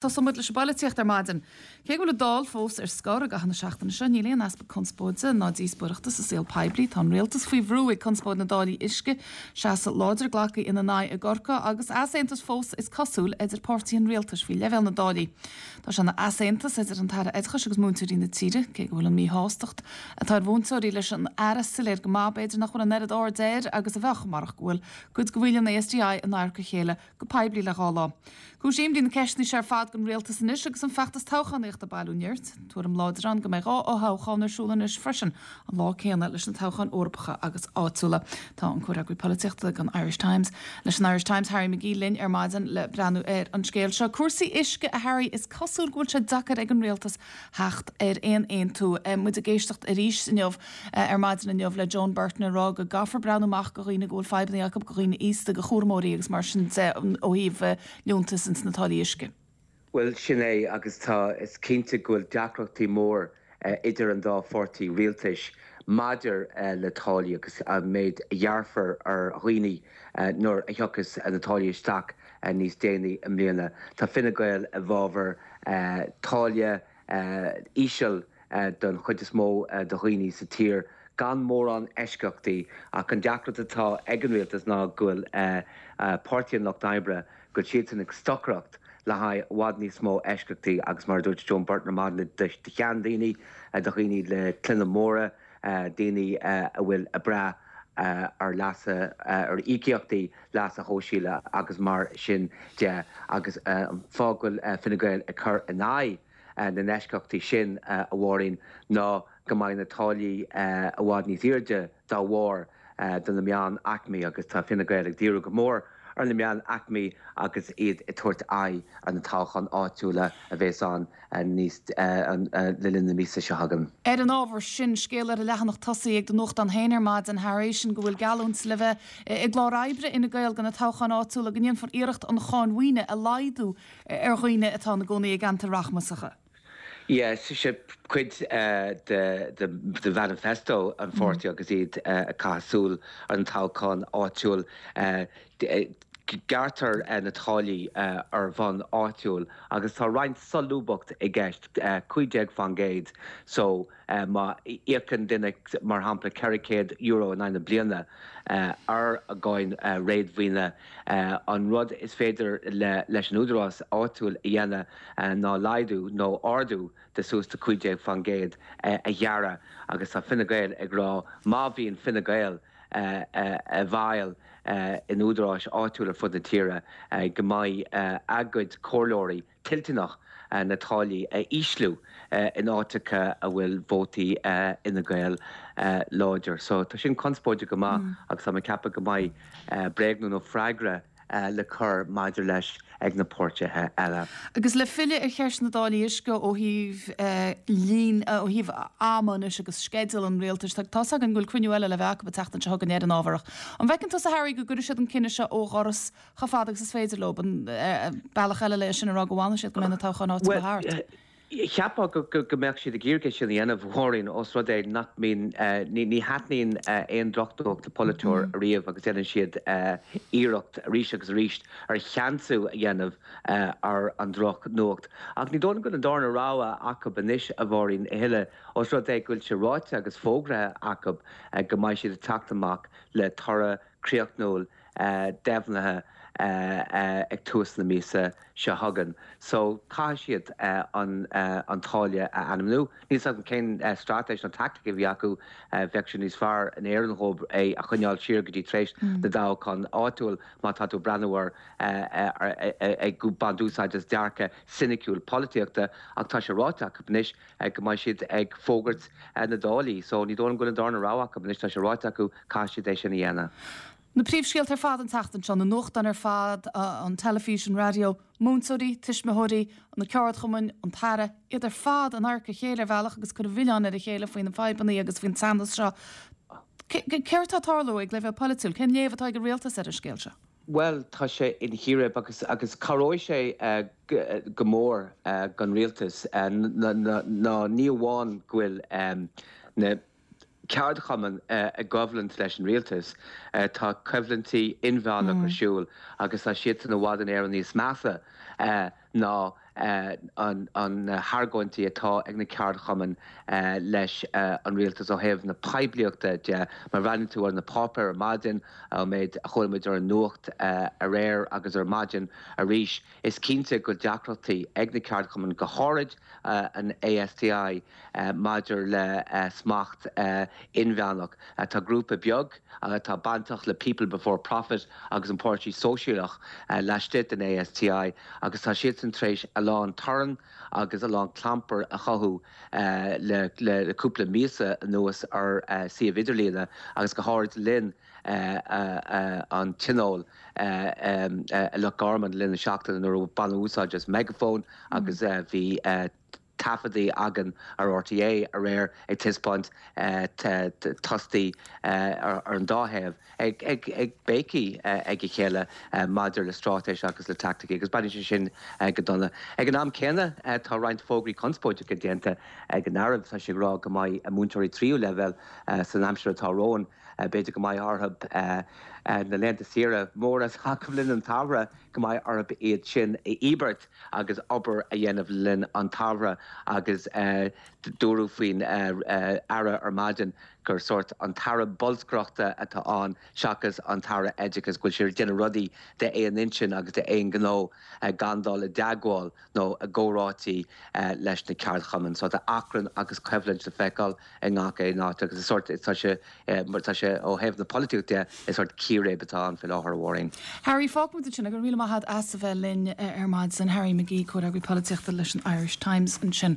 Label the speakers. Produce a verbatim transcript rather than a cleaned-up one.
Speaker 1: Tosóidh muid leis an bpolaitíocht ar maidin. Cé go bhfuil an Dáil fós ar scor i gcaitheamh na seachtaine seo, níl aon easpa conspóide ná díospóireachta sa saol poiblí. Tá an rialtas faoi bhrú ag conspóid na dtáillí uisce, seasamh láidir glactha ina n-aghaidh i gCorcaigh agus easaontas fós is cosúil idir páirtithe an rialtais faoi leibhéal na dtáillí. Tá sé ina easaontas idir an tAire Oideachais agus múinteoirí na tíre, cé go bhfuil an mhíshástacht atá ar mhúinteoirí leis an Aire soiléir go maith, b'fhéidir nach bhfuil an oiread airde air agus a bheadh marach go bhfuil cuid de bhaill an A S D I in adharca a chéile go poiblí le dhá lá. Cúis imní na ceisteanna seo ar fad don rialtas anois agus an feachtas toghchánaíochta ag bailiú nirt. Tuairim láidir ann go mbeidh dhá fhothoghchán ar siúl anois freisin an lá céanna leis na toghcháin Eorpacha agus áitiúla. Tá an comhfhreagraí polaitíochta don Irish Times leis an Irish Times Harry McGee linn ar maidin le breathnú ar an scéal seo. Cúrsaí uisce a Harry is cosúil go bhfuil sé deacair ag an rialtas theacht ar aon aontú. Muid ag éisteacht arís inniu ar maidin inniu le Joan Burton ag rá go gcaithfear breathnú amach do dhaoine go bhfuil fadhbanna acu go dhaoine aosta go chúramóirí agus mar sin de ó thaobh liúntas ins na táillí uisce.
Speaker 2: Well sin é agus tá is cinnte go bhfuil deacrachtaí mór uh, idir an dá pháirtí rialtais maidir uh, le táillí agus an méid a ghearrfar ar dhaoine uh, nuair a thiocfas na táillí isteach uh, níos déanaí i mbliana. Tá Fine Gael i bhfabhar uh, táille uh, íseal uh, don chuid is mó uh, de dhaoine sa tír. Gan mórán eisceachtaí ach an deacracht atá ag an rialtas ná go bhfuil uh, uh, Páirtí an Lucht Oibre go bhfuil siad ag stocaireacht le haghaidh i bhfad níos mó eisceachtaí agus mar dúirt Joan Burton le de sheandaoine do dhaoine le clainne móra daoine a bhfuil ag brath ar leasa ar íocaíochtaí leasa shóisialaigh agus mar sin de agus fáth go bhfuil Fine Gael ag cur in aghaidh na n-eisceachtaí sin a Mháirín ná go mbeidh na táillí i bhfad níos airde dá bharr do na meánaicmí agus tá Fine Gael ag díriú go mór ar na meánaicmí agus iad ag tabhairt aghaidh ar na toghcháin áitiúla a bheas ann níos le linn na míosa seo chugainn.
Speaker 1: Ar an ábhar sin scéal ar an leathanach tosaigh ag do nuachtán féin ar maidin Harry sin go bhfuil geallúint le bheith i gclár oibre Fhine Gael do na toghcháin áitiúla go ndéanfar iarracht an cháin mhaoine a laghdú ar dhaoine atá ina gcónaí i gceantair rachmasacha.
Speaker 2: Yes, sé cuid uh, de, de, de manifesto an pháirtí mm. agus iad uh, ag caitheamh súil an toghchán áitiúil uh, gearrtar uh, na táillí uh, ar bhonn áitiúil agus tá roinnt solúbthacht i gceist uh, cúig déag faoin gcéad so uh, má íocann duine mar shampla ceithre chéad euro in aghaidh na bliana uh, ar a gcáin uh, réadmhaoine uh, an rud is féidir le, leis an údarás áitiúil a dhéanamh uh, ná laghdú nó ardú de suas de cúig déag faoin gcéad uh, a ghearradh agus tá Fine Gael ag rá má bhíonn Fine Gael uh, uh, a bhfuil uh, in údaráis áitiúil ar fud na tíre uh, go mbeidh uh, a gcuid comhairleoirí toilteanach uh, na táillí a ísliú uh, in áiteacha a bhfuil vótaí uh, Fhine Gael uh, láidir. So tá sin conspóideach go maith mm. agus tá mé ag ceapadh go mbeidh uh, bréagnú nó freagra uh, le cur maidir leis ag na páirtithe eile.
Speaker 1: Agus le filleadh ar cheist na dtáillí uisce ó thaobh líon ó thaobh ama anois agus sceideal an rialtais tá an bhfuil cruinniú eile le bheith acu an tseachtain seo chugainn ar an ábhar. An bhfeiceann tusa Harry go gcuirfidh siad an cinneadh seo ó dhoras chomh fada agus is féidir leo an bealach eile le sin a rá go bhfanfaidh siad go mbeidh na toghcháin áitiúla thart.
Speaker 2: Cheapfá go mbeadh siad ag iarraidh sin a dhéanamh a Mháirín os rud é nach mbíonn ní thaitníonn aon drochnuacht le polaiteoir mm. riamh agus déanann siad iarracht arís agus arís ar cheansú a dhéanamh ar an drochnuacht. Ach ní dóigh go an darna rogha acu anois a Mháirín a thuilleadh os rud é go bhfuil sé ráite agus fógraithe acu go mbeidh siad ag teacht amach le toradh críochnúil deimhnithe ag tús na míosa seo chugainn. So caithfidh siad uh, an, uh, an táille a ainmniú. Níl an cén uh, straitéis nó tactic a bhí acu uh, bheadh sé níos fearr in Éirinn dhóibh é a choinneáil siar go dtí tar éis mm. na dtoghchán áitiúil má tá tú breathnú ar ag baint úsáid as dearcadh soiniciúil polaitíochta ach tá sé ráite acu anois go mbeidh siad ag fógairt na dtáillí, so ní dóigh go an darna rogha acu anois tá sé ráite acu caithfidh siad é sin a dhéanamh.
Speaker 1: Na príomhscéalta ar fad an tseachtain seo na nuachtáin ar fad an teilifís an raidió, múinteoirí, tuismitheoirí, na ceardchumainn, an tAire, iad ar fad in adharca a chéile ar bhealach agus cur an mhilleáin ar a chéile faoin na fadhbanna agus faoin teannas seo. Céard atá ag tarlú ag leibhéal polaitiúil, cén léamh atá ag an rialtas ar an scéal seo?
Speaker 2: Well tá sé in chíréib agus agus cabhróidh sé uh, go mór uh, don rialtas uh, ná ní amháin go bhfuil um, na ceardchumainn uh, i gcoimhlint leis an rialtas uh, tá coimhlintí inmheánach mm. ar siúl agus tá siad san i bhfad in Éirinn níos measa uh, ná an argóintí atá ag na ceardchumainn leis an rialtas ó thaobh na poiblíochta de má bhreathnaíonn tú ar na páipéir ar maidin méid a chuala muid ar an nuacht aréir agus ar maidin arís is cinnte go deacrachtaí ag na ceardchumainn go háirid an ASTI maidir le smacht inmheánach. Tá grúpa beag atá bainteach le People Before Profit agus an Páirtí Sóisialach laistigh den ASTI agus tá siadsan tar éis a lán torann agus a lán clampar a chothú le le cúpla míosa anuas ar suíomh idirlíne agus go háirid linn an tionól i Loch Garman linn na seachtaine nuair a baineadh úsáid as megaphone agus bhí taifeadaí againn ar RTÉ aréir ag taispeáint tostaí ar an dá thaobh ag ag ag béicíl ag a chéile maidir le straitéis agus le tacticí agus baineann sé sin go dona. Ag an am céanna tá roinnt fógraí conspóideacha déanta ag an Aire tá sé ag rá go mbeidh múinteoirí tríú leibhéal san aimsir atá romhainn b'fhéidir go mbeidh orthu na laethanta saoire móra acu linn an tsamhradh go mbeidh orthu iad sin a íobairt agus obair a dhéanamh linn an tsamhradh agus dúradh faoin aire ar maidin gur sórt an tAire bolscaireachta atá ann seachas an tAire oideachais go bhfuil sé ag déanamh rudaí d'aon intinn agus d'aon ghnó gan dul i dteagmháil nó i gcomhráití leis na ceardchumainn. So tá achrann agus coimhlint le feiceáil i ngach aon áit agus is sórt tá sé tá sé ó thaobh na polaitíochta de is sórt círéib atá ann faoi láthair a Mháirín.
Speaker 1: Harry fágfaidh muid sin go raibh míle maith agat as a bheith linn ar maidin Harry McGee comhfhreagraí polaitíochta leis an Irish Times ansin.